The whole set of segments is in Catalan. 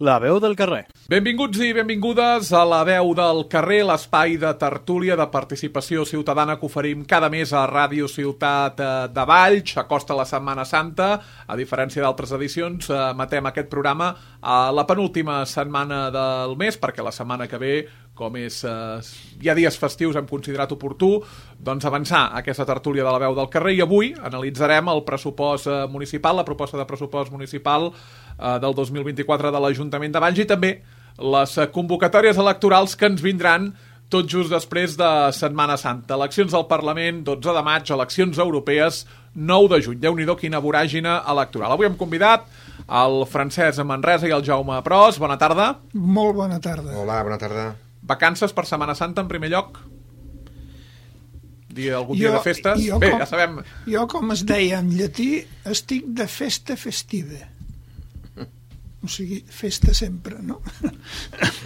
La veu del carrer. Benvinguts i benvingudes a La veu del carrer, l'espai de tertúlia de participació ciutadana que oferim cada mes a Ràdio Ciutat de Valls. S'acosta la Setmana Santa. A diferència d'altres edicions, matem aquest programa a la penúltima setmana del mes, perquè la setmana que ve, com és hi ha dies festius, hem considerat oportú doncs avançar aquesta tertúlia de La veu del carrer, i avui analitzarem el pressupost municipal, la proposta de pressupost municipal del 2024 de l'Ajuntament de Valls, i també les convocatòries electorals que ens vindran tot just després de Setmana Santa. Eleccions al Parlament, 12 de maig, eleccions europees, 9 de juny. Déu-n'hi-do, quina voràgine electoral. Avui hem convidat el Francesc Manresa i el Jaume Pros. Bona tarda. Molt bona tarda. Hola, bona tarda. Vacances per Setmana Santa, en primer lloc? Algun dia de festes? Bé, ja sabem. Jo, com es deia en llatí, estic de festa festiva. O sigui, festa sempre, no?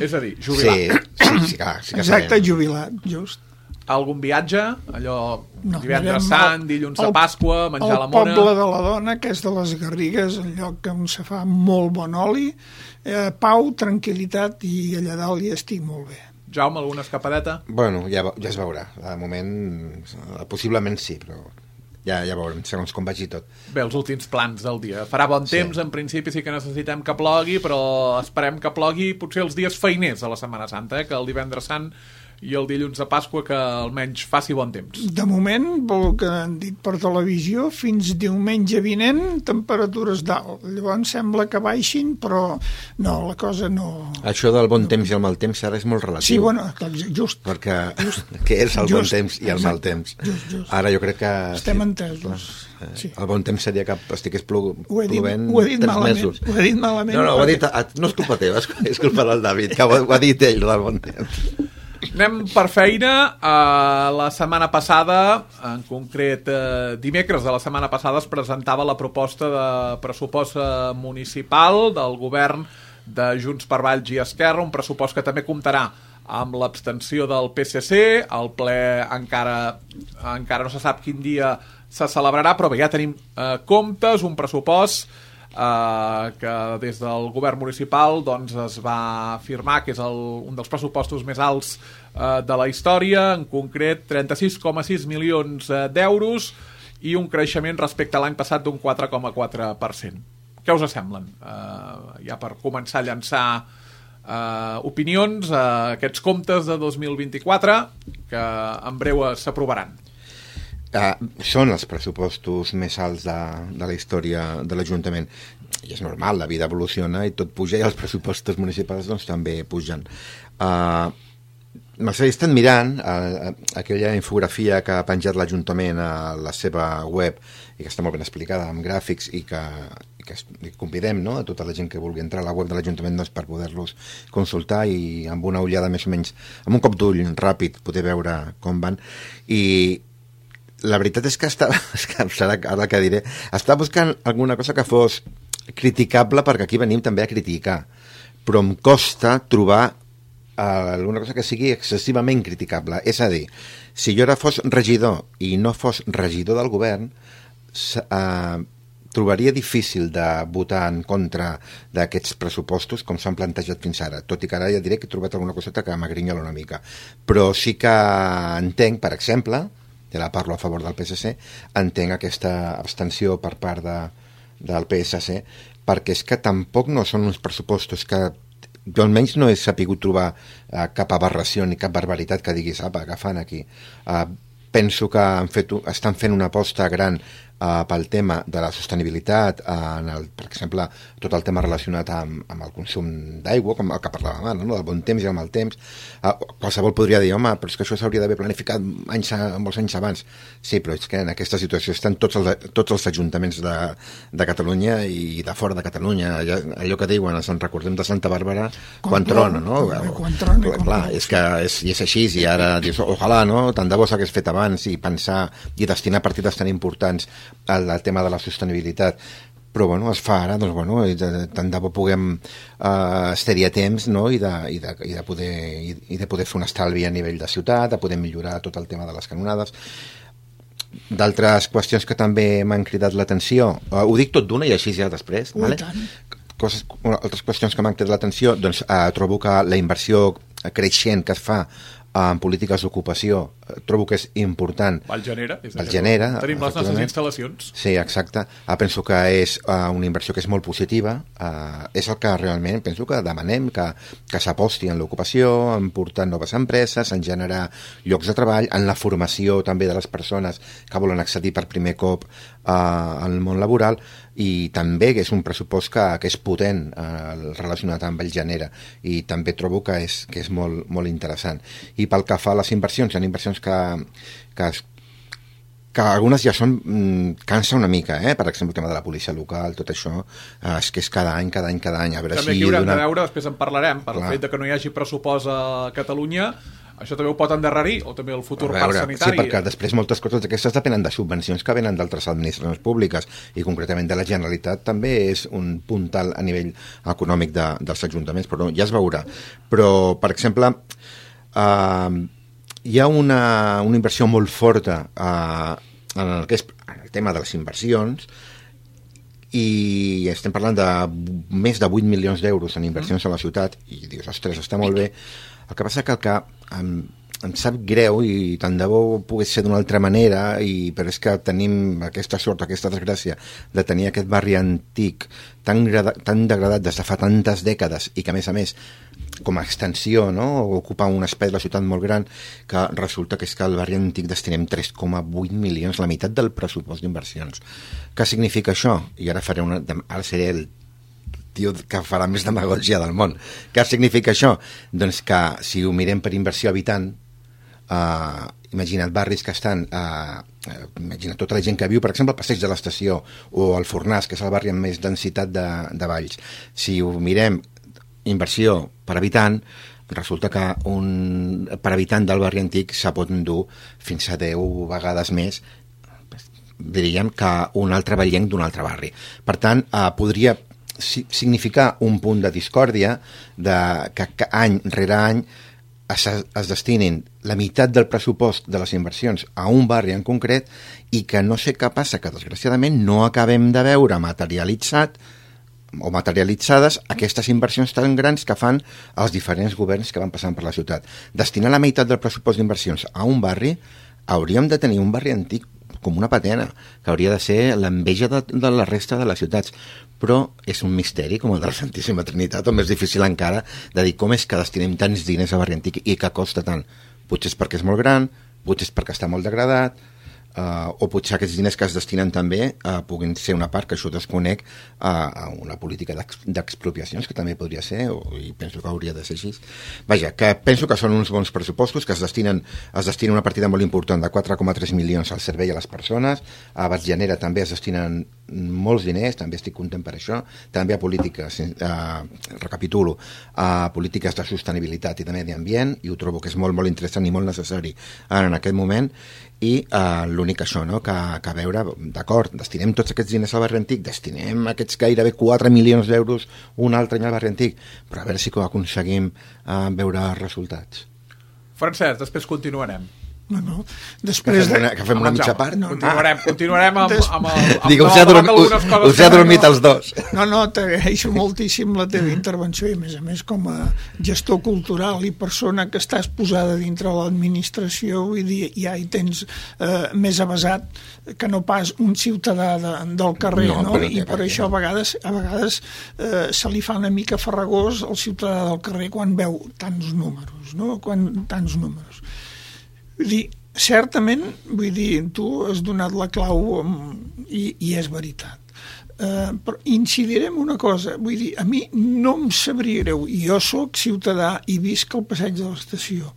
És a dir, jubilat. Sí, clar. Exacte, jubilat, just. Algun viatge? Allò, divendres sant, dilluns de Pasqua, menjar la mona... El poble de la dona, que és de les Garrigues, el lloc on se fa molt bon oli, pau, tranquil·litat, i allà dalt hi estic molt bé. Jaume, alguna escapadeta? Bueno, ja es veurà. De moment, possiblement sí, però... Ja veurem, segons com vagi tot. Bé, els últims plans del dia. Farà bon temps, en principi sí que necessitem que plogui, però esperem que plogui potser els dies feiners de la Setmana Santa, que el divendres sant i el dilluns de Pasqua, que almenys faci bon temps. De moment, pel que han dit per televisió, fins diumenge vinent, temperatures dalt. Llavors sembla que baixin, però no, la cosa no... Això del bon temps i el mal temps ara és molt relatiu. Sí, bueno, just. Perquè què és el bon temps i el mal temps? Just. Ara jo crec que... Estem entesos. Sí. El bon temps seria que estigués plovent ho he dit 3 mesos. Ho he dit malament. No, ho ha dit, no és culpa teva, és culpa del David, que ho ha dit ell, del bon temps. Anem per feina. La setmana passada, en concret dimecres de la setmana passada, es presentava la proposta de pressupost municipal del govern de Junts per Valls i Esquerra, un pressupost que també comptarà amb l'abstenció del PSC. El ple encara no se sap quin dia se celebrarà, però bé, ja tenim comptes, un pressupost que des del govern municipal doncs, es va afirmar que és un dels pressupostos més alts de la història, en concret 36,6 milions d'euros i un creixement respecte a l'any passat d'un 4,4%. Què us semblen? Ja per començar a llançar opinions a aquests comptes de 2024 que en breu s'aprovaran. Són els pressupostos més alts de la història de l'Ajuntament, i és normal, la vida evoluciona i tot puja, i els pressupostos municipals doncs, també pugen. M'he estat mirant aquella infografia que ha penjat l'Ajuntament a la seva web i que està molt ben explicada amb gràfics i que convidem, no?, a tota la gent que vulgui entrar a la web de l'Ajuntament doncs, per poder-los consultar i amb una ullada més o menys, amb un cop d'ull ràpid, poder veure com van. I la veritat és que serà ara que diré, està buscant alguna cosa que fos criticable, perquè aquí venim també a criticar, però em costa trobar alguna cosa que sigui excessivament criticable. És a dir, si jo ara fos regidor i no fos regidor del govern, trobaria difícil de votar en contra d'aquests pressupostos com s'han plantejat fins ara, tot i que ara ja diré que he trobat alguna coseta que m'agrinyola una mica, però sí que entenc, per exemple, ja la parlo a favor del PSC, entenc aquesta abstenció per part del PSC, perquè és que tampoc no són uns pressupostos que jo almenys no he sapigut trobar cap aberració ni cap barbaritat que diguis, apa, que fan aquí. Penso que estan fent una aposta gran pel tema de la sostenibilitat, per exemple, tot el tema relacionat amb el consum d'aigua, com el que parlàvem ara, no? Del bon temps i el mal temps. Qualsevol podria dir, home, però és que això s'hauria d'haver planificat molts anys abans. Sí, però és que en aquesta situació estan tots els ajuntaments de Catalunya i de fora de Catalunya. Allò que diuen, ens en recordem de Santa Bàrbara quan trona, no? Clar, és que és així, i ara dius, ojalà, no? Tant de bo s'hagués fet abans i pensar i destinar partides tan importants al tema de la sostenibilitat, però bueno, es fa ara, doncs bueno, tant de bo puguem estar-hi a temps, no? I de poder fer un estalvi a nivell de ciutat, de poder millorar tot el tema de les canonades. D'altres qüestions que també m'han cridat l'atenció, ho dic tot d'una i així ja després, vale? altres qüestions que m'han cridat l'atenció, doncs trobo que la inversió creixent que es fa en polítiques d'ocupació trobo que és important. Valgenera. Tenim les nostres instal·lacions. Sí, exacte. Penso que és una inversió que és molt positiva. És el que realment penso que demanem, que s'aposti en l'ocupació, en portar noves empreses, en generar llocs de treball, en la formació també de les persones que volen accedir per primer cop al món laboral, i també que és un pressupost que és potent relacionat amb el Genera, i també trobo que és molt, molt interessant. I pel que fa a les inversions, hi ha inversions que algunes ja són cansa una mica, per exemple el tema de la policia local, tot això és que és cada any, a veure també si... També aquí haurem de veure, després en parlarem, per el fet que no hi hagi pressupost a Catalunya. Això també ho pot endarrerir, o també el futur parc sanitari. Sí, perquè després moltes coses d'aquestes depenen de subvencions que venen d'altres administracions públiques, i concretament de la Generalitat també és un puntal a nivell econòmic dels ajuntaments, però ja es veurà. Però, per exemple, hi ha una inversió molt forta en el tema de les inversions, i estem parlant de més de 8 milions d'euros en inversions a la ciutat, i dius, ostres, està molt bé. El que passa que em sap greu, i tant de bo pogués ser d'una altra manera, però és que tenim aquesta sort, aquesta desgràcia de tenir aquest barri antic tan degradat des de fa tantes dècades, i que a més com a extensió, no? Ocupa un espai de la ciutat molt gran, que resulta que és que al barri antic destinem 3,8 milions, la meitat del pressupost d'inversions. Què significa això? I ara seré el tio que farà més demagògia del món. Què significa això? Doncs que si ho mirem per inversió habitant, imagina't barris que estan imagina't tota la gent que viu, per exemple, al Passeig de l'Estació o al Fornàs, que és el barri amb més densitat de Valls. Si ho mirem inversió per habitant, resulta que per habitant del barri antic se pot endur fins a 10 vegades més, diríem, que un altre vallenc d'un altre barri. Per tant, podria significar un punt de discòrdia que any rere any es destinin la meitat del pressupost de les inversions a un barri en concret, i que no sé què passa, que desgraciadament no acabem de veure materialitzades aquestes inversions tan grans que fan els diferents governs que van passant per la ciutat. Destinar la meitat del pressupost d'inversions a un barri, hauríem de tenir un barri antic com una patena, que hauria de ser l'enveja de la resta de les ciutats. Però és un misteri, com el de la Santíssima Trinitat, o més difícil encara, de dir com és que destinem tants diners a barri antic i que costa tant. Potser és perquè és molt gran, potser és perquè està molt degradat, o potser aquests diners que es destinen també puguin ser una part, que això desconec, a una política d'expropiacions, que també podria ser, i penso que hauria de ser així. Vaja, que penso que són uns bons pressupostos, que es destina una partida molt important de 4,3 milions al servei a les persones. A Valgenera també es destinen molts diners, també estic content per això, també a polítiques, recapitulo, a polítiques de sostenibilitat i de medi ambient, i ho trobo que és molt, molt interessant i molt necessari en aquest moment. I l'únic això, no? que a veure, d'acord, destinem tots aquests diners al barri antic, destinem aquests gairebé 4 milions d'euros un altre any al barri antic, però a veure si aconseguim veure resultats. Francesc, després continuarem. No. Després que fem una mitja part? Continuarem amb el Digue, us he adormit els dos. No, t'agraeixo moltíssim la teva intervenció, i a més com a gestor cultural i persona que estàs posada dintre l'administració, vull dir, ja hi tens més avasat que no pas un ciutadà del carrer, no? I per això a vegades se li fa una mica farragós al ciutadà del carrer quan veu tants números, no? Vull dir, certament, tu has donat la clau i és veritat. Però incidiré en una cosa, vull dir, a mi no em sabria greu, i jo sóc ciutadà i visc al Passeig de l'Estació,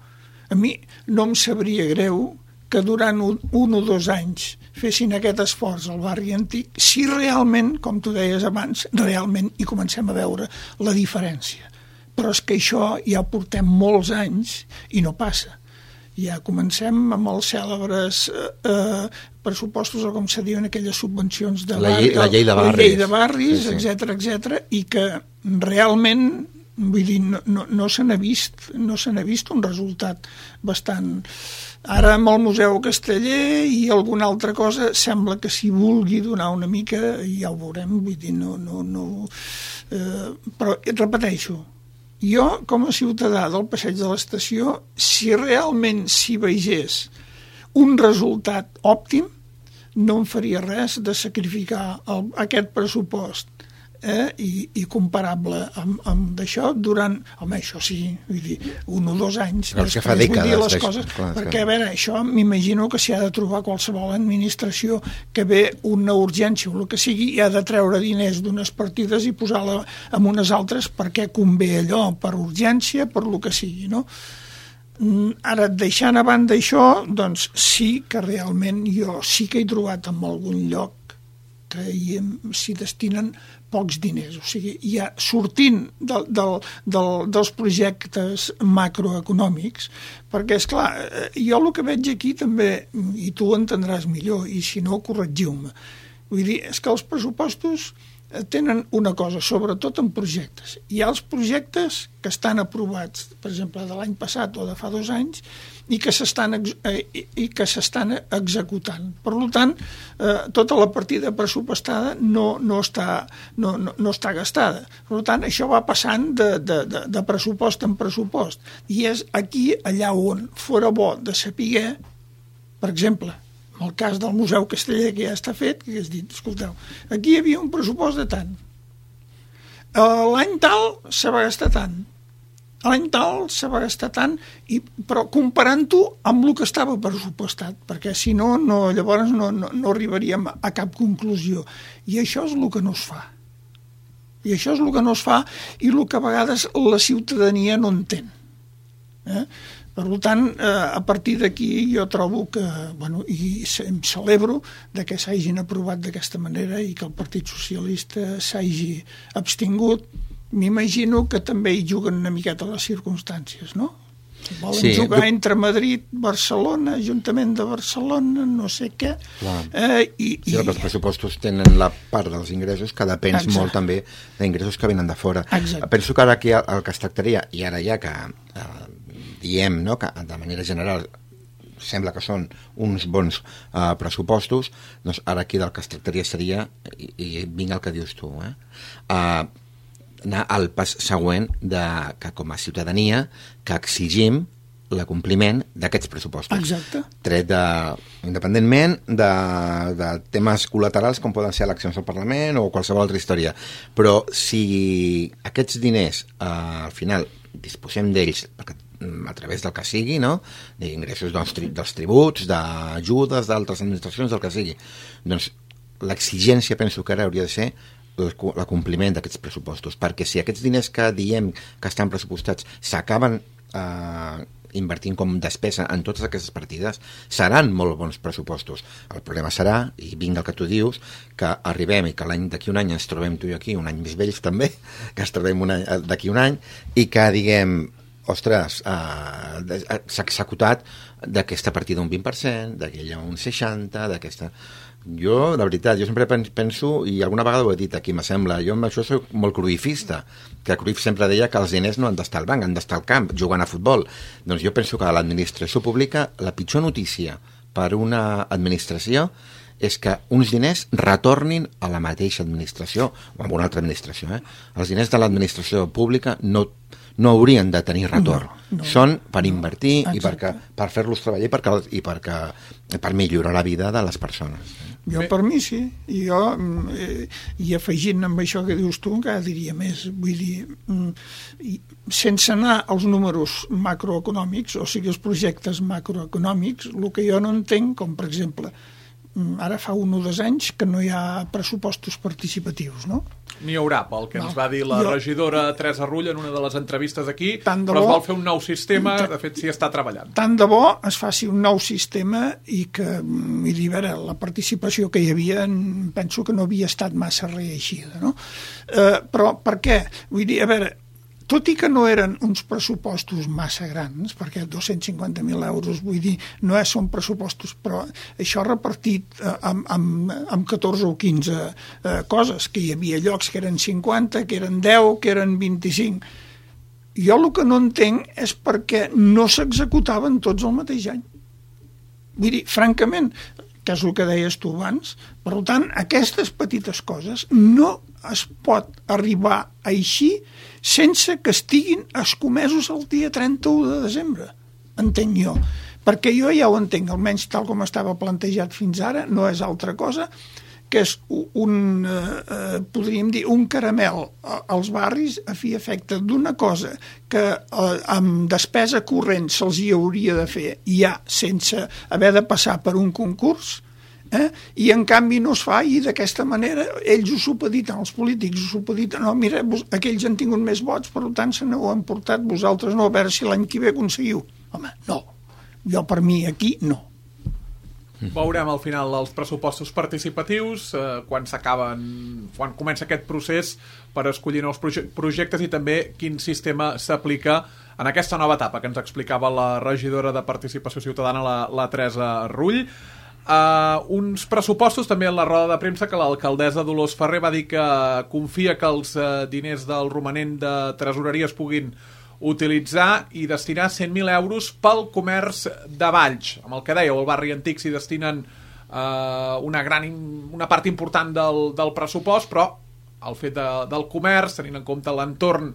a mi no em sabria greu que durant 1 o 2 anys fessin aquest esforç al barri antic, si realment, com tu deies abans, realment hi comencem a veure la diferència. Però és que això ja portem molts anys i no passa. Ja comencem amb els cèlebres pressupostos, o com se diuen aquelles subvencions de la llei de barris, sí. etc., i que realment, vull dir, no se n'ha vist un resultat bastant. Ara amb el Museu Casteller i alguna altra cosa sembla que s'hi vulgui donar una mica, i ja ho veurem, vull dir, no Però et repeteixo, jo com a ciutadà del Passeig de l'Estació, si realment s'hi vegés un resultat òptim, no em faria res de sacrificar aquest pressupost i comparable amb d'això durant, home, això sí, vull dir, 1 o 2 anys però que fa dècades, les coses, perquè a veure, això m'imagino que s'hi ha de trobar qualsevol administració que ve una urgència o el que sigui i ha de treure diners d'unes partides i posar-la en unes altres perquè convé allò per urgència, per lo que sigui, no? Ara, deixant a banda això, doncs sí que realment jo sí que he trobat en algun lloc que s'hi destinen pocs diners, o sigui, ja sortint dels projectes macroeconòmics, perquè, esclar, jo el que veig aquí també, i tu ho entendràs millor, i si no, corregiu-me, vull dir, és que els pressupostos tenen una cosa, sobretot en projectes. Hi ha els projectes que estan aprovats, per exemple, de l'any passat o de fa 2 anys, i que s'estan executant. Per tant, tota la partida pressupostada no està gastada. Per tant, això va passant de pressupost en pressupost. I és aquí, allà on fora bo de saber, per exemple, en el cas del Museu Casteller, que ja està fet, que has dit, escolteu, aquí hi havia un pressupost de tant. L'any tal se va gastar tant. L'any tal se va gastar tant, però comparant-ho amb el que estava pressupostat, perquè si no, llavors no arribaríem a cap conclusió. I això és el que no es fa. I això és el que no es fa i el que a vegades la ciutadania no entén. Per tant, a partir d'aquí jo trobo que, bueno, i em celebro que s'hagin aprovat d'aquesta manera i que el Partit Socialista s'hagi abstingut. M'imagino que també hi juguen una miqueta les circumstàncies, no? Volen jugar entre Madrid, Barcelona, Ajuntament de Barcelona, no sé què. Sí, els pressupostos tenen la part dels ingressos que depèn molt també d'ingressos que venen de fora. Penso que ara aquí el que es tractaria, i ara ja que diem, no, que de manera general sembla que són uns bons pressupostos, doncs ara aquí del que es tractaria seria, i vinga el que dius tu, anar al pas següent que com a ciutadania que exigim l'acompliment d'aquests pressupostos. Exacte. Independentment de temes col·laterals com poden ser eleccions al Parlament o qualsevol altra història. Però si aquests diners al final disposem d'ells a través del que sigui, no? D'ingressos dels tributs, d'ajudes d'altres administracions, del que sigui, doncs l'exigència penso que ara hauria de ser l'acompliment d'aquests pressupostos, perquè si aquests diners que diem que estan pressupostats s'acaben invertint com despesa en totes aquestes partides, seran molt bons pressupostos. El problema serà, i vinga el que tu dius, que arribem i que d'aquí un any ens trobem tu i aquí, un any més vells també, que ens trobem d'aquí un any, i que diguem, ostres, s'ha executat d'aquesta partida un 20%, d'aquella un 60%, d'aquesta... Jo, de veritat, jo sempre penso, i alguna vegada ho he dit aquí, me sembla, jo amb això soc molt cruifista, que Cruyff sempre deia que els diners no han d'estar al banc, han d'estar al camp, jugant a futbol. Doncs jo penso que a l'administració pública la pitjor notícia per una administració és que uns diners retornin a la mateixa administració o a una altra administració. Els diners de l'administració pública no haurien de tenir retorn. Són per invertir i per fer-los treballar i per millorar la vida de les persones. Jo, per mi, sí. I afegint amb això que dius tu, encara diria més. Vull dir, sense anar als números macroeconòmics, o sigui, els projectes macroeconòmics, el que jo no entenc, com per exemple, ara fa 1 o 2 anys que no hi ha pressupostos participatius, no? N'hi haurà, pel que ens va dir la regidora Teresa Rull en una de les entrevistes aquí, però es vol fer un nou sistema, de fet s'hi està treballant. Tant de bo es faci un nou sistema i que, vull dir, a veure, la participació que hi havia penso que no havia estat massa reeixida, no? Però per què? Vull dir, a veure, tot i que no eren uns pressupostos massa grans, perquè 250.000 euros, vull dir, no són pressupostos, però això repartit amb 14 o 15 coses, que hi havia llocs que eren 50, que eren 10, que eren 25. Jo el que no entenc és perquè no s'executaven tots el mateix any. Vull dir, francament, que és el que deies tu abans, per tant, aquestes petites coses no es pot arribar així sense que estiguin escomesos el dia 31 de desembre, entenc jo. Perquè jo ja ho entenc, almenys tal com estava plantejat fins ara, no és altra cosa que és podríem dir, un caramel als barris a fi efecte d'una cosa que amb despesa corrent se'ls hi hauria de fer ja sense haver de passar per un concurs, i en canvi no es fa, i d'aquesta manera ells ho supediten, els polítics ho supediten, no, mira, aquells han tingut més vots, per tant se n'ho han portat, vosaltres no, a veure si l'any que ve aconseguiu. Home, no, jo per mi aquí no. Veurem al final els pressupostos participatius, quan comença aquest procés per escollir nous projectes i també quin sistema s'aplica en aquesta nova etapa que ens explicava la regidora de Participació Ciutadana, la Teresa Rull. Uns pressupostos, també en la roda de premsa, que l'alcaldessa Dolors Ferrer va dir que confia que els diners del romanent de tresoreria es puguin utilitzar i destinar 100.000 euros pel comerç de Valls. Amb el que dèieu, al barri antic s'hi destinen una part important del pressupost, però el fet del comerç, tenint en compte l'entorn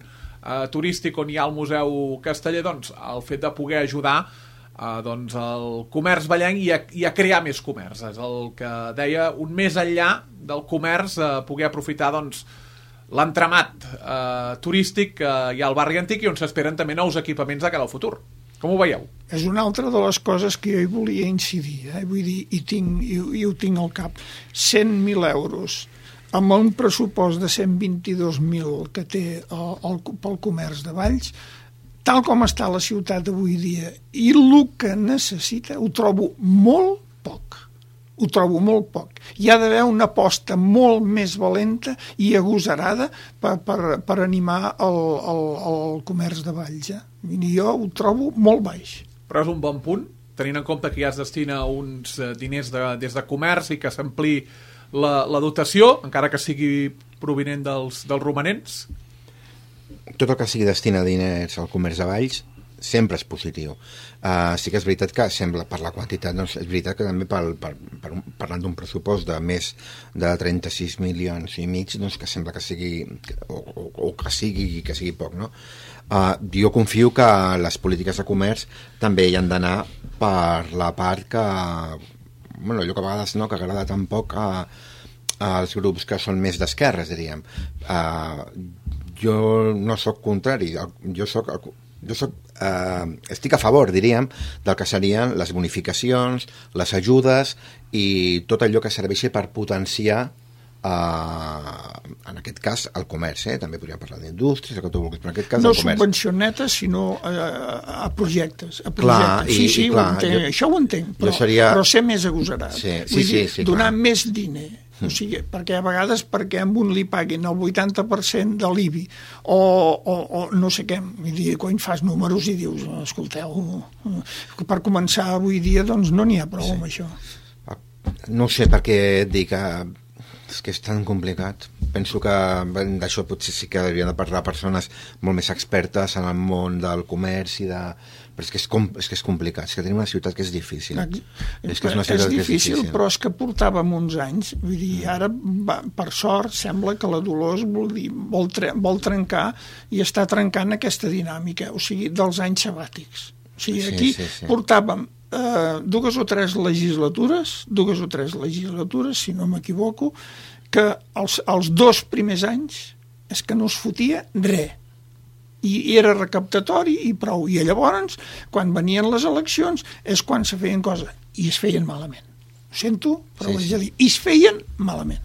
turístic on hi ha el Museu Casteller, doncs el fet de poder ajudar el comerç vallenc i a crear més comerç. És el que deia, un més enllà del comerç, poder aprofitar l'entramat turístic que hi ha al barri antic i on s'esperen també nous equipaments de cara al futur. Com ho veieu? És una altra de les coses que jo hi volia incidir, vull dir, i ho tinc al cap. 100.000 euros amb un pressupost de 122.000 que té pel comerç de Valls, tal com està la ciutat avui dia i el que necessita, ho trobo molt poc. Ho trobo molt poc. Hi ha d'haver una aposta molt més valenta i agosarada per animar el comerç de Valls. I jo ho trobo molt baix. Però és un bon punt, tenint en compte que ja es destina uns diners des de comerç i que s'ampli la dotació, encara que sigui provinent dels romanents? Tot el que sigui destina diners al comerç de Valls sempre és positiu. Sí que és veritat que sembla, per la quantitat, doncs és veritat que també parlant d'un pressupost de més de 36 milions i mig, doncs que sembla que sigui o que sigui poc, no? Jo confio que les polítiques de comerç també hi han d'anar per la part que allò que a vegades no, que agrada tan poc als grups que són més d'esquerres, diríem. Jo no sóc contrari, estic a favor, diríem, del que serien les bonificacions, les ajudes i tot allò que serveixi per potenciar en aquest cas el comerç, també podríem parlar d'indústries, el que tu vulguis, però en aquest cas no el comerç. No subvencionetes, sinó a projectes. Clar, sí, això ho entenc, però ser més agosarat. Sí, donar més diner. O sigui, perquè a vegades perquè amb un li paguin el 80% de l'IBI o no sé què, vull dir, quan fas números i dius, escolteu, per començar avui dia doncs no n'hi ha prou amb això. No sé per què et dic és que és tan complicat. Penso que d'això potser sí que haurien de parlar persones molt més expertes en el món del comerç i però és que és complicat, és que tenim una ciutat que és difícil. És difícil, però és que portàvem uns anys, vull dir, ara per sort sembla que la Dolors vol trencar i està trencant aquesta dinàmica, o sigui, dels anys sabàtics. O sigui, aquí portàvem dues o tres legislatures, si no m'equivoco, que els 2 primers anys és que no es fotia res. I era recaptatori i prou. I llavors, quan venien les eleccions, és quan se feien coses. I es feien malament. Ho sento, però ho haig de dir. I es feien malament.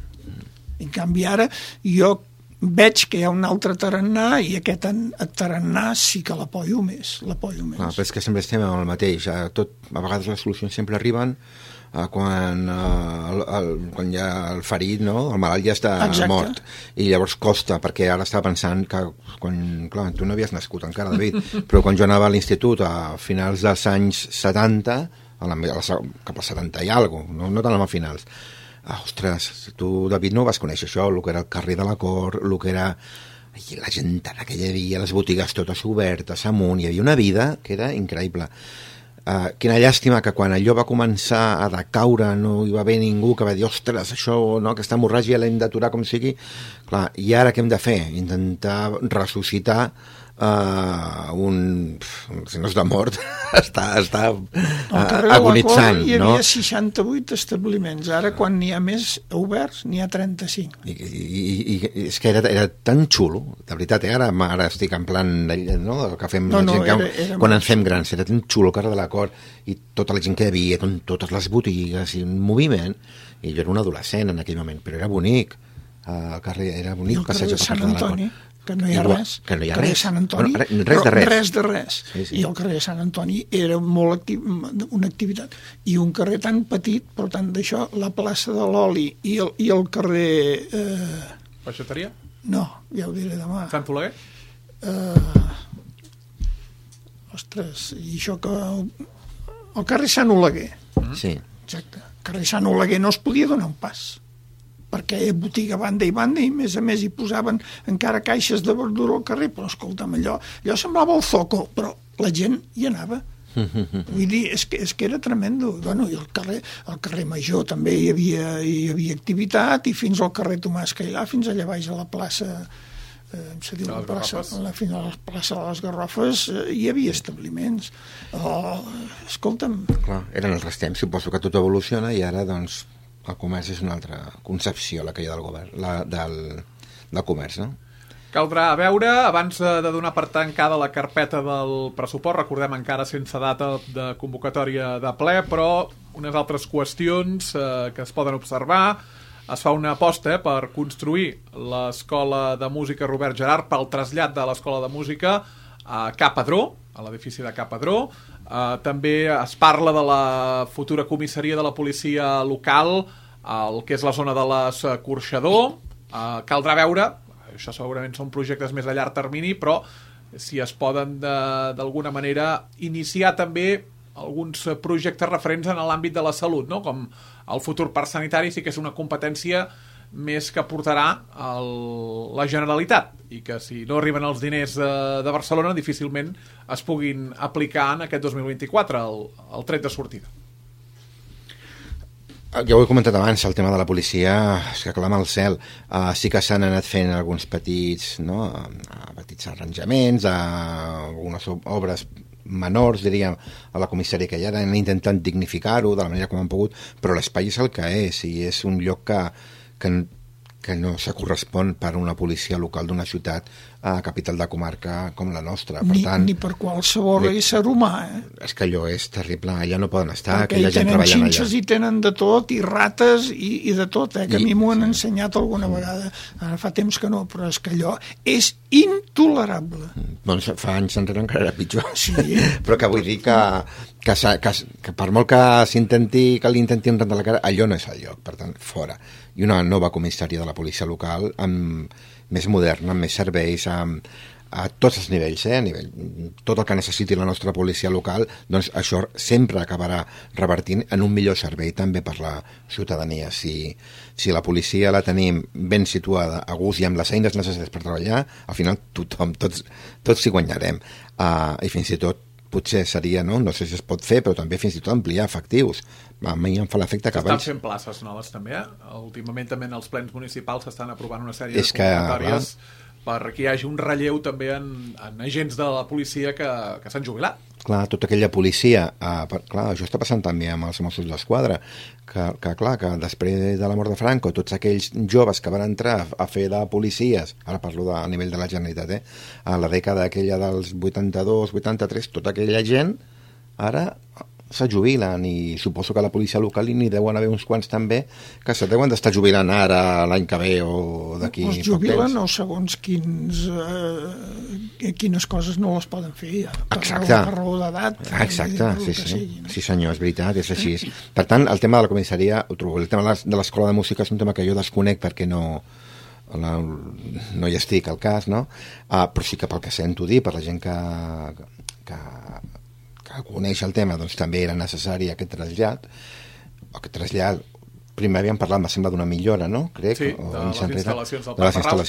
En canvi, ara jo veig que hi ha un altre tarannà i aquest tarannà sí que l'apoyo més. Però és que sempre estem amb el mateix. A vegades les solucions sempre arriben quan hi ha el ferit, no? El malalt ja està mort i llavors costa, perquè ara estava pensant que clar, tu no havies nascut encara, David, però quan jo anava a l'institut a finals dels anys 70 cap als 70 i alguna cosa, no tant a finals, ostres, tu, David, no vas conèixer això, el que era el carrer de la Cort, el que era la gentada que hi havia, les botigues totes obertes amunt, hi havia una vida que era increïble. quina llàstima que quan allò va començar a decaure no hi va haver ningú que va dir, ostres, això, no, aquesta hemorràgia l'hem d'aturar com sigui. Clar, i ara què hem de fer? Intentar ressuscitar si no és de mort, està agonitzant. Hi havia 68 establiments, ara quan n'hi ha més oberts n'hi ha 35. I és que era tan xulo, de veritat, ara estic en plan, no?, el que fem quan ens fem grans, era tan xulo el carrer de la Cort i tota la gent que hi havia, totes les botigues i un moviment, i jo era un adolescent en aquell moment, però era bonic, el carrer era bonic, passeig de Sant Antoni, que no hi ha res. Que no hi ha carrer res. Sant Antoni, res de res. Sí. I el carrer Sant Antoni era molt una activitat. I un carrer tan petit, per tant, d'això, la plaça de l'Oli i el carrer... Peixateria? No, ja ho diré demà. Sant Oleguer? Ostres, i això que... El carrer Sant Oleguer. Sí. Exacte. El carrer Sant Oleguer no es podia donar un pas, perquè hi ha botiga banda i banda i a més hi posaven encara caixes de verdura al carrer, però escolta'm, allò semblava el Zoco, però la gent hi anava. Vull dir, és que era tremendo. Bueno, i el carrer Major també hi havia activitat, i fins al carrer Tomàs Cailà, fins allà baix a la plaça, se diu la plaça, fins a la plaça de les Garrofes, hi havia establiments. Escolta'm... Clar, eren els temps, suposo que tot evoluciona i ara, doncs, el comerç és una altra concepció, la que hi ha del govern, del comerç, no? Caldrà veure, abans de donar per tancada la carpeta del pressupost, recordem encara sense data de convocatòria de ple, però unes altres qüestions que es poden observar. Es fa una aposta per construir l'Escola de Música Robert Gerhard pel trasllat de l'Escola de Música a Ca Padró, a l'edifici de Ca Padró. També es parla de la futura comissaria de la policia local, el que és la zona de l'Escorxador. Caldrà veure, això segurament són projectes més a llarg termini, però si es poden d'alguna manera iniciar també alguns projectes referents en l'àmbit de la salut, no? Com el futur parc sanitari sí que és una competència més que portarà la Generalitat, i que si no arriben els diners de Barcelona difícilment es puguin aplicar en aquest 2024 el tret de sortida. Ja ho he comentat abans, el tema de la policia és que clama al cel. Sí que s'han anat fent alguns petits arranjaments, algunes obres menors, diríem, a la comissaria que hi ha, han intentat dignificar-ho de la manera com han pogut, però l'espai és el que és, i és un lloc que no se correspon per una policia local d'una ciutat capital de comarca com la nostra. Per tant, ni per qualsevol ésser humà. És que allò és terrible, allà no poden estar, perquè aquella gent treballant allà. Xinxes hi tenen de tot, i rates, i de tot, que a mi m'ho han ensenyat alguna vegada. Ara fa temps que no, però és que allò és intolerable. Doncs fa anys enrere encara era pitjor. Sí. Però que vull dir que per molt que l'intentin rentar la cara, allò no és el lloc, per tant, fora. I una nova comissària de la policia local més moderna, amb més serveis, a tots els nivells, a nivell, tot el que necessiti la nostra policia local, doncs això sempre acabarà revertint en un millor servei també per la ciutadania. Si la policia la tenim ben situada, a gust i amb les eines necessàries per treballar, al final tots hi guanyarem. I fins i tot potser seria, no sé si es pot fer, però també fins i tot ampliar efectius. A mi em fa l'efecte que S'estan fent places noves també, Últimament també en els plens municipals s'estan aprovant una sèrie de convocatòries perquè hi hagi un relleu també en agents de la policia que s'han jubilat. Clar, tota aquella policia, clar, això està passant també amb els Mossos d'Esquadra, que després de la mort de Franco, tots aquells joves que van entrar a fer de policies, ara parlo a nivell de la Generalitat, a la dècada aquella dels 82, 83, tota aquella gent ara se jubilen, i suposo que a la policia local n'hi deuen haver uns quants també que se deuen d'estar jubilant ara, l'any que ve o d'aquí es jubilen o segons quines coses no les poden fer per raó d'edat. Exacte, sí senyor, és veritat, és així. Per tant, el tema de la comissaria ho trobo, el tema de l'escola de música és un tema que jo desconec perquè no hi estic al cas, no? Però sí que pel que sento dir, per la gent que coneix el tema, doncs també era necessari aquest trasllat. Primer havíem parlat, me sembla, d'una millora, no? Crec, sí, de les instal·lacions del Parc Marrau.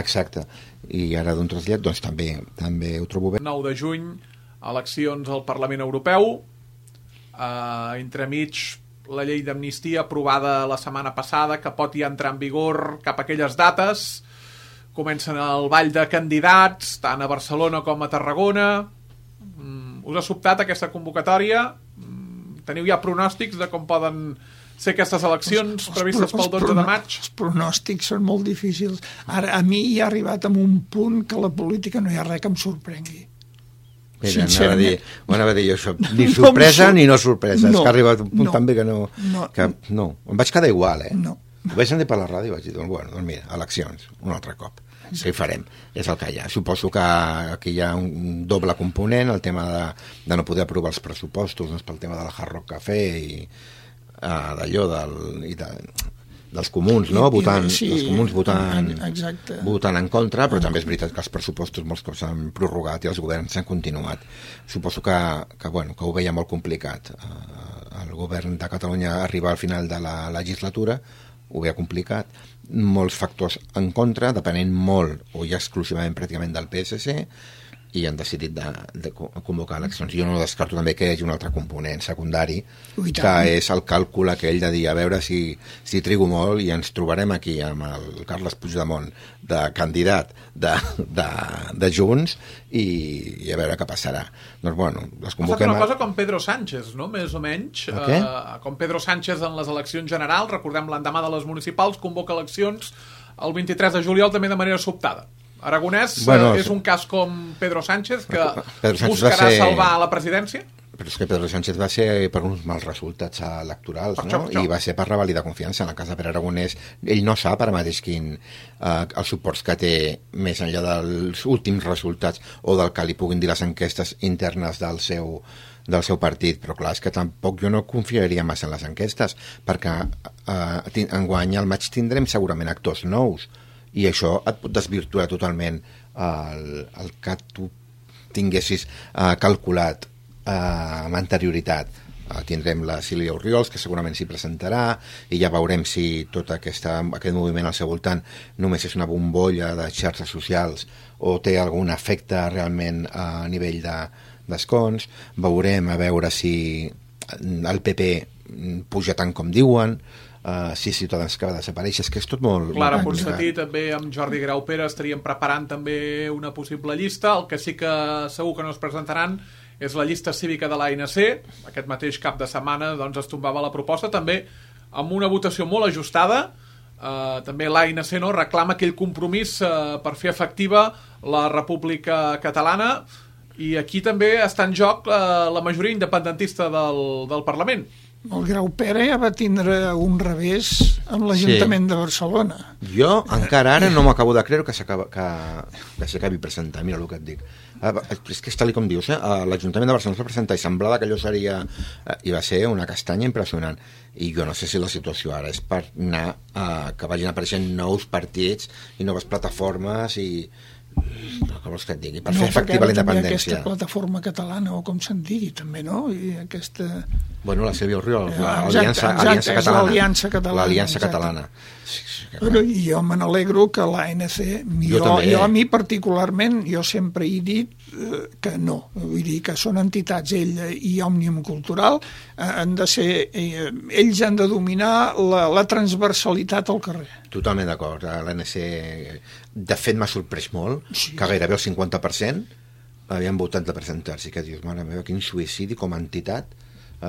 Exacte, i ara d'un trasllat, doncs també ho trobo bé. 9 de juny, eleccions al Parlament Europeu, entremig la llei d'amnistia aprovada la setmana passada, que pot ja entrar en vigor cap a aquelles dates. Comencen el ball de candidats, tant a Barcelona com a Tarragona. Us ha sobtat aquesta convocatòria? Teniu ja pronòstics de com poden ser aquestes eleccions previstes pel 12 de maig? Els pronòstics són molt difícils. Ara, a mi hi ha arribat a un punt que la política no hi ha res que em sorprengui. Mira, anava a dir jo això. Ni sorpresa ni no sorpresa. És que ha arribat un punt també que no... No, em vaig quedar igual, No. Ho vaig sentir per la ràdio i vaig dir, doncs mira, eleccions, un altre cop. Sí, farem, és el que hi ha. Suposo que aquí hi ha un doble component, el tema de no poder aprovar els pressupostos, doncs pel tema del Hard Rock Café i d'allò dels comuns, no? Els comuns votant en contra, però també és veritat que els pressupostos molts cops s'han prorrogat i els governs s'han continuat. Suposo que ho veia molt complicat. El govern de Catalunya arribar al final de la legislatura ho veia complicat, molts factors en contra, depenent molt o ja exclusivament pràcticament del PSC, i han decidit de convocar eleccions. Jo no descarto també que hi hagi un altre component secundari, que és el càlcul aquell de dir, a veure si trigo molt i ens trobarem aquí amb el Carles Puigdemont de candidat de Junts i a veure què passarà. Doncs bueno, les convoquem... Ha estat una cosa com Pedro Sánchez, no? Més o menys. Com Pedro Sánchez en les eleccions generals, recordem l'endemà de les municipals, convoca eleccions el 23 de juliol també de manera sobtada. Aragonès és un cas com Pedro Sánchez, que buscarà salvar la presidència? Però és que Pedro Sánchez va ser per uns mals resultats electorals, no? I va ser per revalidar confiança. En el cas de Pere Aragonès, ell no sap ara mateix els suports que té més enllà dels últims resultats o del que li puguin dir les enquestes internes del seu partit, però clar, és que tampoc jo no confiaria massa en les enquestes, perquè enguany al maig tindrem segurament actors nous, i això et pot desvirtuar totalment el que tu tinguessis calculat amb anterioritat. Tindrem la Sílvia Orriols, que segurament s'hi presentarà, i ja veurem si tot aquest moviment al seu voltant només és una bombolla de xarxes socials o té algun efecte realment a nivell d'escons. Veurem a veure si el PP puja tant com diuen, si Ciutadans que va desaparèixer, és que és tot molt... Clara Ponsatí, també amb Jordi Graupera estaríem preparant també una possible llista. El que sí que segur que no es presentaran és la llista cívica de l'ANC. Aquest mateix cap de setmana doncs, es tombava la proposta, també amb una votació molt ajustada. També l'ANC reclama aquell compromís per fer efectiva la República Catalana, i aquí també està en joc la majoria independentista del Parlament. El Graupera ja va tindre un revés amb l'Ajuntament de Barcelona. Jo encara ara no m'acabo de creure que s'acabi presentant. Mira el que et dic. És que és tal com dius, l'Ajuntament de Barcelona es va presentar i semblava que allò seria... I va ser una castanya impressionant. I jo no sé si la situació ara és per anar que vagin apareixent nous partits i noves plataformes i... com vols que et digui, per fer efectiva la independència. Aquesta plataforma catalana, o com se'n digui també, no? I aquesta... Bueno, la Sílvia Orriols, l'Aliança Catalana. L'Aliança Catalana. Però jo me n'alegro que l'ANC, jo a mi particularment, jo sempre he dit que no, vull dir que són entitats, ell i Òmnium Cultural, han de ser, ells han de dominar la transversalitat al carrer. Totalment d'acord, l'ANC de fet m'ha sorprès molt, que gairebé el 50% havien votat de presentar-s'hi, que dius, mare meva, quin suïcidi com a entitat.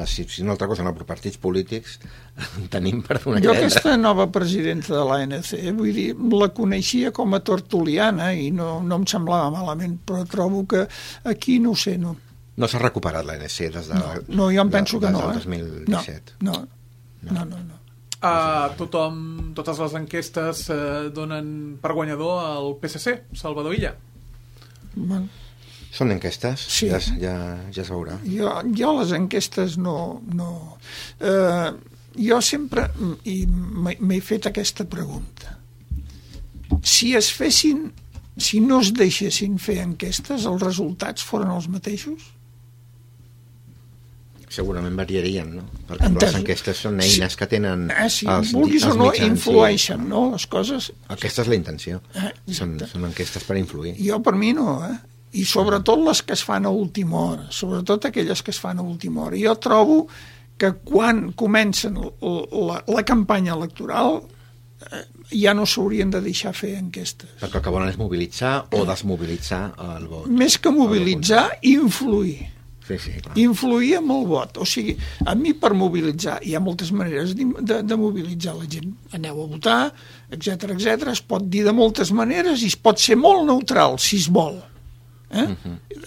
Si no altra cosa, no, per partits polítics tenim per donar jo aquesta nova presidenta de l'ANC, vull dir, la coneixia com a tertuliana i no em semblava malament, però trobo que aquí no sé, no s'ha recuperat l'ANC des de no, jo em penso que no, del 2017. No. Totes les enquestes donen per guanyador el PSC, Salvador Illa. Bueno, són enquestes, sí. Ja es veurà. Jo les enquestes no... jo sempre m'he fet aquesta pregunta. Si no es deixessin fer enquestes, els resultats foren els mateixos? Segurament variarien, no? Perquè les enquestes són eines que tenen els vulguis o no, influeixen, no? Les coses... Aquesta és la intenció. Són enquestes per influir. Jo, per mi, no, i sobretot les que es fan a última hora, sobretot aquelles que es fan a última hora. Jo trobo que quan comencen la campanya electoral ja no s'haurien de deixar fer enquestes. Perquè el que volen és mobilitzar o desmobilitzar el vot. Més que mobilitzar, influir. Sí, clar. Influir amb el vot. O sigui, a mi per mobilitzar, hi ha moltes maneres de mobilitzar la gent. Aneu a votar, etc etc. Es pot dir de moltes maneres i es pot ser molt neutral, si es vol.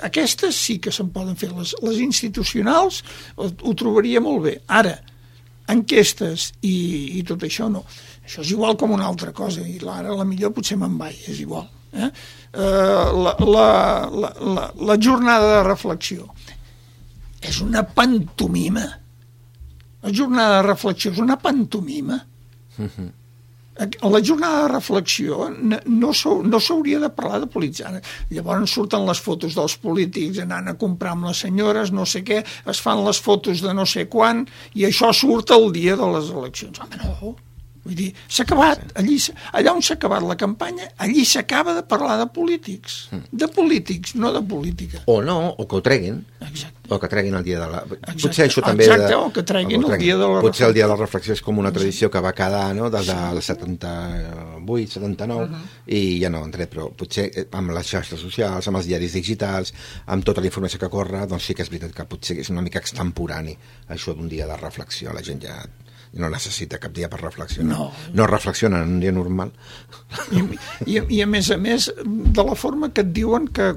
Aquestes sí que se'n poden fer. Les institucionals ho trobaria molt bé. Ara, enquestes i tot això no. Això és igual com una altra cosa, i ara la millor potser me'n vaig, és igual. La jornada de reflexió és una pantomima. La jornada de reflexió és una pantomima. La jornada de reflexió no s'hauria de parlar de polititzar. Llavors surten les fotos dels polítics anant a comprar amb les senyores, no sé què, es fan les fotos de no sé quan, i això surt el dia de les eleccions. Home, no. Vull dir, s'ha acabat. Allà on s'ha acabat la campanya, allí s'acaba de parlar de polítics. De polítics, no de política. O no, o que ho treguin. Exacte. O que treguin el dia de la... Exacte. Potser això també... Exacte, o que treguin el dia de la reflexió. Potser el dia de la reflexió és com una tradició que va quedar, no?, des del 78, 79, i ja no han tret, però potser amb les xarxes socials, amb els diaris digitals, amb tota la informació que corre, doncs sí que és veritat que potser és una mica extemporani això d'un dia de reflexió. La gent ja no necessita cap dia per reflexionar. No reflexionen en un dia normal. I a més, de la forma que et diuen que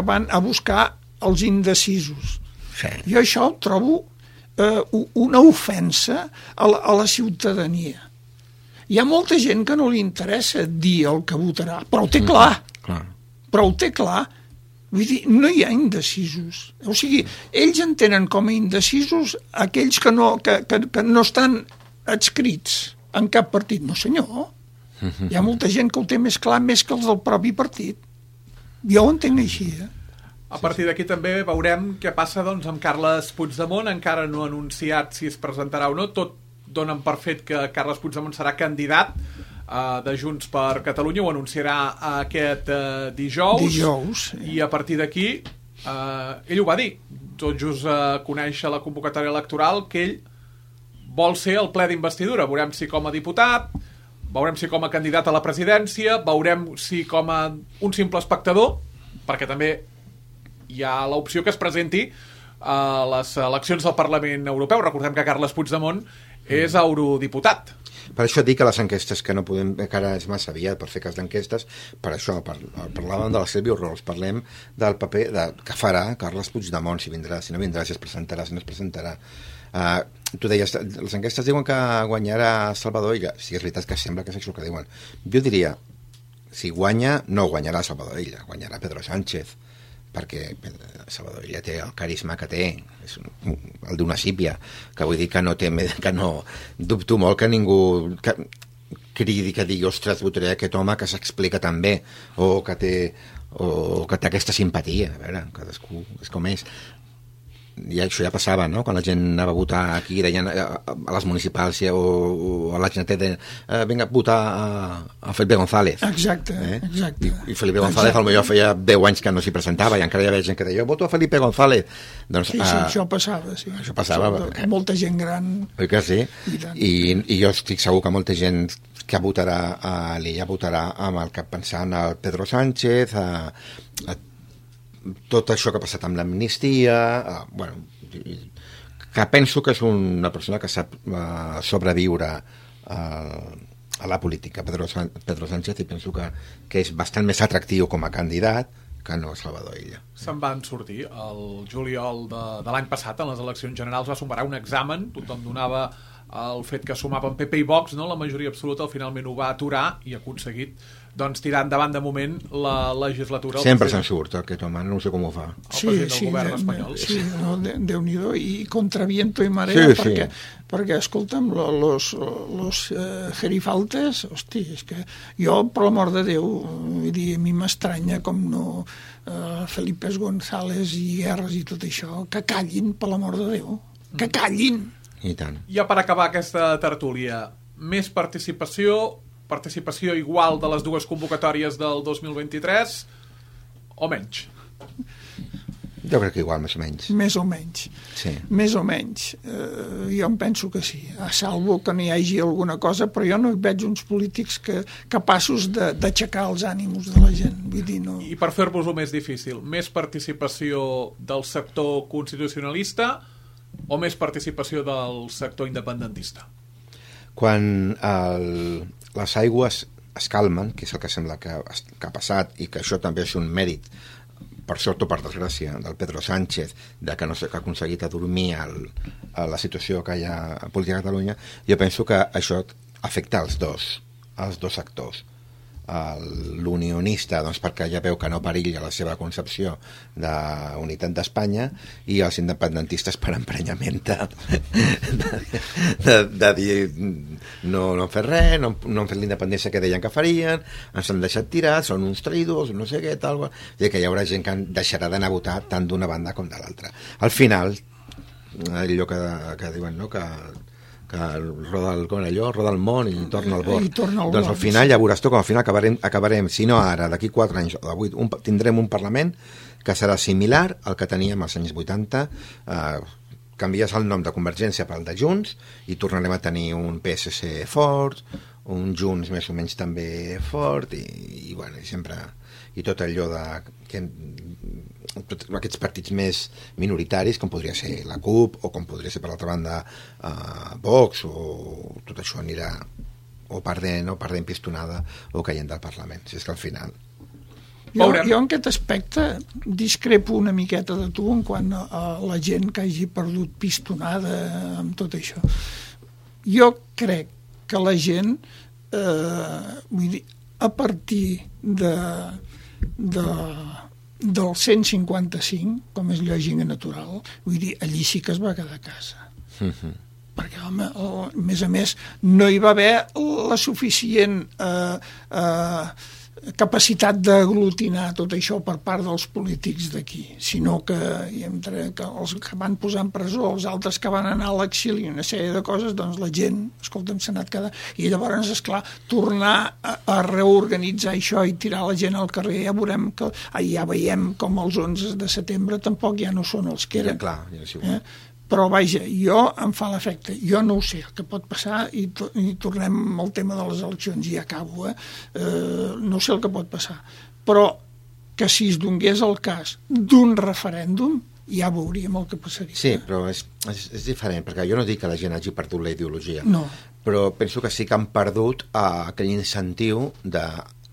van a buscar els indecisos. Sí. Jo això ho trobo una ofensa a la ciutadania. Hi ha molta gent que no li interessa dir el que votarà, però ho té clar. Però ho té clar. Vull dir, no hi ha indecisos. O sigui, ells entenen com a indecisos aquells que no estan adscrits en cap partit. No, senyor. Hi ha molta gent que ho té més clar, més que els del propi partit. Jo ho entenc així, A partir d'aquí també veurem què passa doncs, amb Carles Puigdemont. Encara no ha anunciat si es presentarà o no. Tot donen per fet que Carles Puigdemont serà candidat de Junts per Catalunya. Ho anunciarà aquest dijous. I a partir d'aquí ell ho va dir, tot just conèixer la convocatòria electoral, que ell vol ser el ple d'investidura. Veurem si com a diputat, veurem si com a candidat a la presidència, veurem si com a un simple espectador, perquè també hi ha l'opció que es presenti a les eleccions del Parlament Europeu. Recordem que Carles Puigdemont és eurodiputat. Per això dic que les enquestes que no podem, encara és massa aviat per fer cas d'enquestes, per això parlàvem de la Sílvia Orriols, parlem del paper que farà Carles Puigdemont, si vindrà, si no vindrà, si es presentarà, si no es presentarà. Tu deies, les enquestes diuen que guanyarà Salvador Illa. Sí, és veritat que sembla que és això que diuen. Jo diria, si guanya, no guanyarà Salvador Illa, guanyarà Pedro Sánchez, perquè Salvador Illa té el carisma que té, és el d'una sípia, que vull dir que no té, que no dubto molt que ningú cridi, que digui, ostres, votaré aquest home que s'explica tan bé, o que té aquesta simpatia. A veure, cadascú és com és. I això ja passava, no?, quan la gent anava a votar aquí, deien a les municipals o a la gent deien vinga a votar a Felipe González. Exacte. I Felipe González potser feia 10 anys que no s'hi presentava i encara hi havia gent que deia, jo voto a Felipe González. Doncs, sí, això passava, sí. Això passava. Molta gent gran. Oi que sí? I jo estic segur que molta gent que votarà a l'Illa votarà amb el cap pensant al Pedro Sánchez, a tot això que ha passat amb l'amnistia, que penso que és una persona que sap sobreviure a la política, Pedro Sánchez, i penso que és bastant més atractiu com a candidat que no Salvador Illa. Se'n van sortir el juliol de l'any passat, en les eleccions generals va sumar un examen, tothom donava el fet que sumaven PP i Vox, no? La majoria absoluta finalment ho va aturar i ha aconseguit doncs, tirar endavant de moment la legislatura. Sempre se'n surt aquest home, no sé com ho fa. El president del govern espanyol. Sí, no, Déu-n'hi-do, i contra viento i marea, perquè escolta'm, los gerifaltes, hosti, és que jo, per l'amor de Déu, vull dir, a mi m'estranya com no Felipe González i Guerres i tot això, que callin, per l'amor de Déu, que callin. I tant. Ja per acabar aquesta tertúlia, més participació igual de les dues convocatòries del 2023 o menys? Jo crec que igual, més o menys. Més o menys. Sí. Més o menys. Jo em penso que sí. A salvo que n'hi hagi alguna cosa, però jo no veig uns polítics capaços d'aixecar els ànims de la gent. Vull dir, no... I per fer-vos-ho més difícil, més participació del sector constitucionalista o més participació del sector independentista? Quan les aigües es calmen, que és el que sembla que ha passat, i que això també és un mèrit, per sort o per desgràcia, del Pedro Sánchez, de que no s'ha aconseguit adormir la situació que hi ha a política a Catalunya, jo penso que això afecta els dos sectors. L'unionista, doncs, perquè ja veu que no perilla la seva concepció d'unitat d'Espanya, i els independentistes per emprenyament de dir no han fet res, no han fet la independència que deien que farien, ens han deixat tirar, són uns traïdors, no sé què, tal, i que hi haurà gent que deixarà d'anar a votar tant d'una banda com de l'altra. Al final, allò que diuen, no?, que roda el món i torna al bord. Doncs al final ja veuràs tu com al final acabarem, si no ara, d'aquí 4 anys o de 8, tindrem un Parlament que serà similar al que teníem als anys 80, canvies el nom de Convergència pel de Junts i tornarem a tenir un PSC fort, un Junts més o menys també fort, i bueno, sempre, i tot allò aquests partits més minoritaris, com podria ser la CUP, o com podria ser per l'altra banda Vox, o tot això anirà o perdent pistonada o caient del Parlament. Si és que al final... Jo en aquest aspecte discrepo una miqueta de tu en quant a la gent que hagi perdut pistonada amb tot això. Jo crec que la gent, vull dir, a partir del 155, com és lògic i natural, vull dir, allí sí que es va quedar a casa. Perquè, home, a més, no hi va haver la suficient capacitat d'aglutinar tot això per part dels polítics d'aquí, sinó que entre els que van posar en presó, els altres que van anar a l'exili, una sèrie de coses, doncs la gent, escolta'm, s'ha anat quedant, i llavors, esclar, tornar a reorganitzar això i tirar la gent al carrer, ja veiem com els 11 de setembre tampoc ja no són els que eren. Ja, clar, ja és igual. Però vaja, em fa l'efecte, jo no ho sé el que pot passar, i tornem al tema de les eleccions i acabo, no sé el que pot passar, però que si es donés el cas d'un referèndum ja veuríem el que passaria. Sí, però és diferent, perquè jo no dic que la gent hagi perdut la ideologia, no, però penso que sí que han perdut aquell incentiu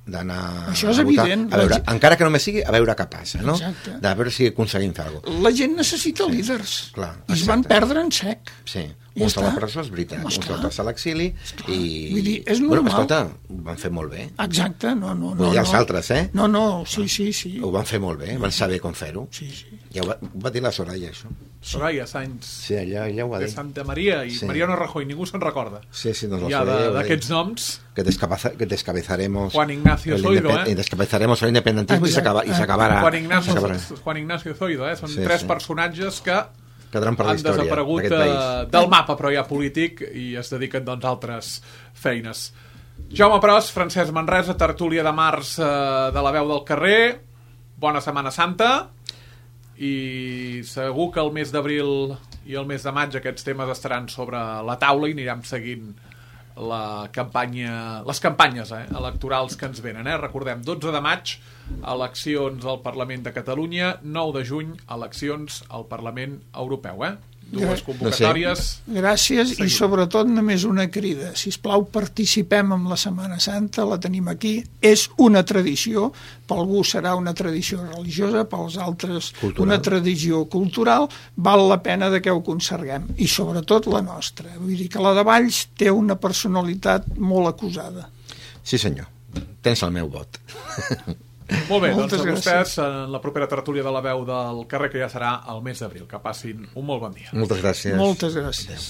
d'anar això és a votar, evident, a veure, encara que només sigui a veure què passa, no? Exacte. De veure si aconseguim fer alguna cosa. La gent necessita líders, clar, i es van perdre en sec. Sí, uns a la presó, és veritat, uns altres a l'exili, i... Vull dir, és normal. Bueno, escolta, ho van fer molt bé. Exacte, no. I els altres, No, sí. Ho van fer molt bé, van saber com fer-ho. Sí. Ja ho va dir la Soraya, això. Soraya Sáenz. Sí, ella ho va dir. De Santa Maria i Mariano Rajoy, ningú se'n recorda. Sí, doncs ja d'aquests noms... Que descabezaremos... Juan Ignacio Zoido, descabezaremos el independentismo i s'acabarà... Juan Ignacio Zoido, són 3 personatges que han desaparegut del mapa, però ja polític, i es dediquen doncs a altres feines. Jaume Pros, Francesc Manresa, tertúlia de març de La Veu del Carrer. Bona Setmana Santa, i segur que el mes d'abril i el mes de maig aquests temes estaran sobre la taula i anirem seguint les campanyes electorals que ens venen. Recordem, 12 de maig, eleccions al Parlament de Catalunya, 9 de juny, eleccions al Parlament Europeu. Dues convocatòries. Gràcies, i sobretot només una crida. Sisplau, participem en la Setmana Santa, la tenim aquí. És una tradició, per algú serà una tradició religiosa, pels altres una tradició cultural. Val la pena que ho conserguem, i sobretot la nostra. Vull dir que la de Valls té una personalitat molt acusada. Sí, senyor. Tens el meu vot. Molt bé, doncs a vostès en la propera tertúlia de La Veu del Carrer, que ja serà el mes d'abril. Que passin un molt bon dia. Moltes gràcies. Moltes gràcies.